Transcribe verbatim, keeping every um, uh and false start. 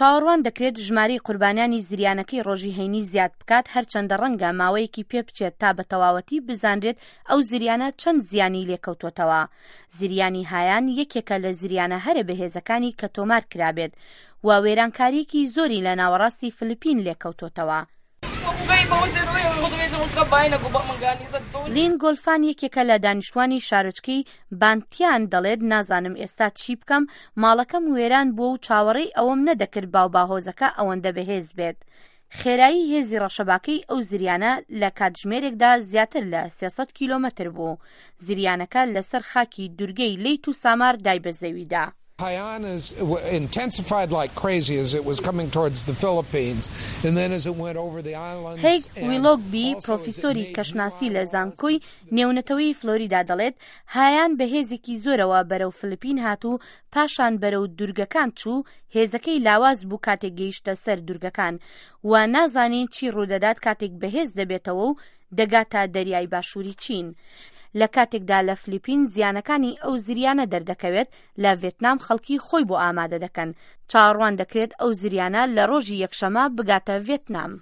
چاوەڕوان دەکرێت ژمارەی قوربانیانی زریانەکەی ڕۆژی هەینی زیاد بکات، هەرچەندە ڕەنگە ماوەیەکی پێ بچێت تا بە تەواوەتی بزانرێت ئەو زریانە چەند زیانی لێکەوتۆتەوە. زریانی هایان یەکێکە لە زریانە هەرە بەهێزەکانی کە تۆمار کرابێت و وێرانکاریەکی زۆری لە ناوەڕاستی فلیپین لێکەوتۆتەوە. لین گۆلفان یەکێکە لە دانیشتوانی شارۆچکەی بانتیان، دەڵێت نازانم ئێستا چی بکەم، ماڵەکەم وێران بووە و چاوەڕێی ئەوەم نەدەکرد باو باهۆزەکە ئەوەندە بەهێز بێت. خێرایی هێزی ڕەشەباکەی ئەو زریانە لە کاتژمێرێکدا زیاتر لە سێ سەد کیلۆمەتر بوو. زریانەکە لەسەر خاکی دورگەی لەیت و سامار دای بە زەویدا. Haiyan is intensified like crazy as it was coming towards the Philippines and then as it went over the islands. هەیگ ویلۆگبی، پرۆفیسۆری کەشناسی لە زانکۆی نێونەتەوەی فلۆریدا دەڵێت هایان بە هێزێکی زۆرەوە بەرەو فلیپین هات و پاشان بەرەو دورگەکان چوو، هێزەکەی لاواز بوو کاتێک گەیشتە سەر دورگەکان و نازانین چی ڕوودەدات کاتێک بەهێز دەبێتەوە و دەگاتە دەریای باشووری چین. لە کاتێکدا لە فلیپین زیانەکانی ئەو زریانە دەردەکەوێت، لە ڤێتنام خەڵکی خۆی بۆ ئامادە دەکەن. چاوەڕوان دەکرێت ئەو زریانە لە ڕۆژی یەکشەمە بگاتە ڤێتنام.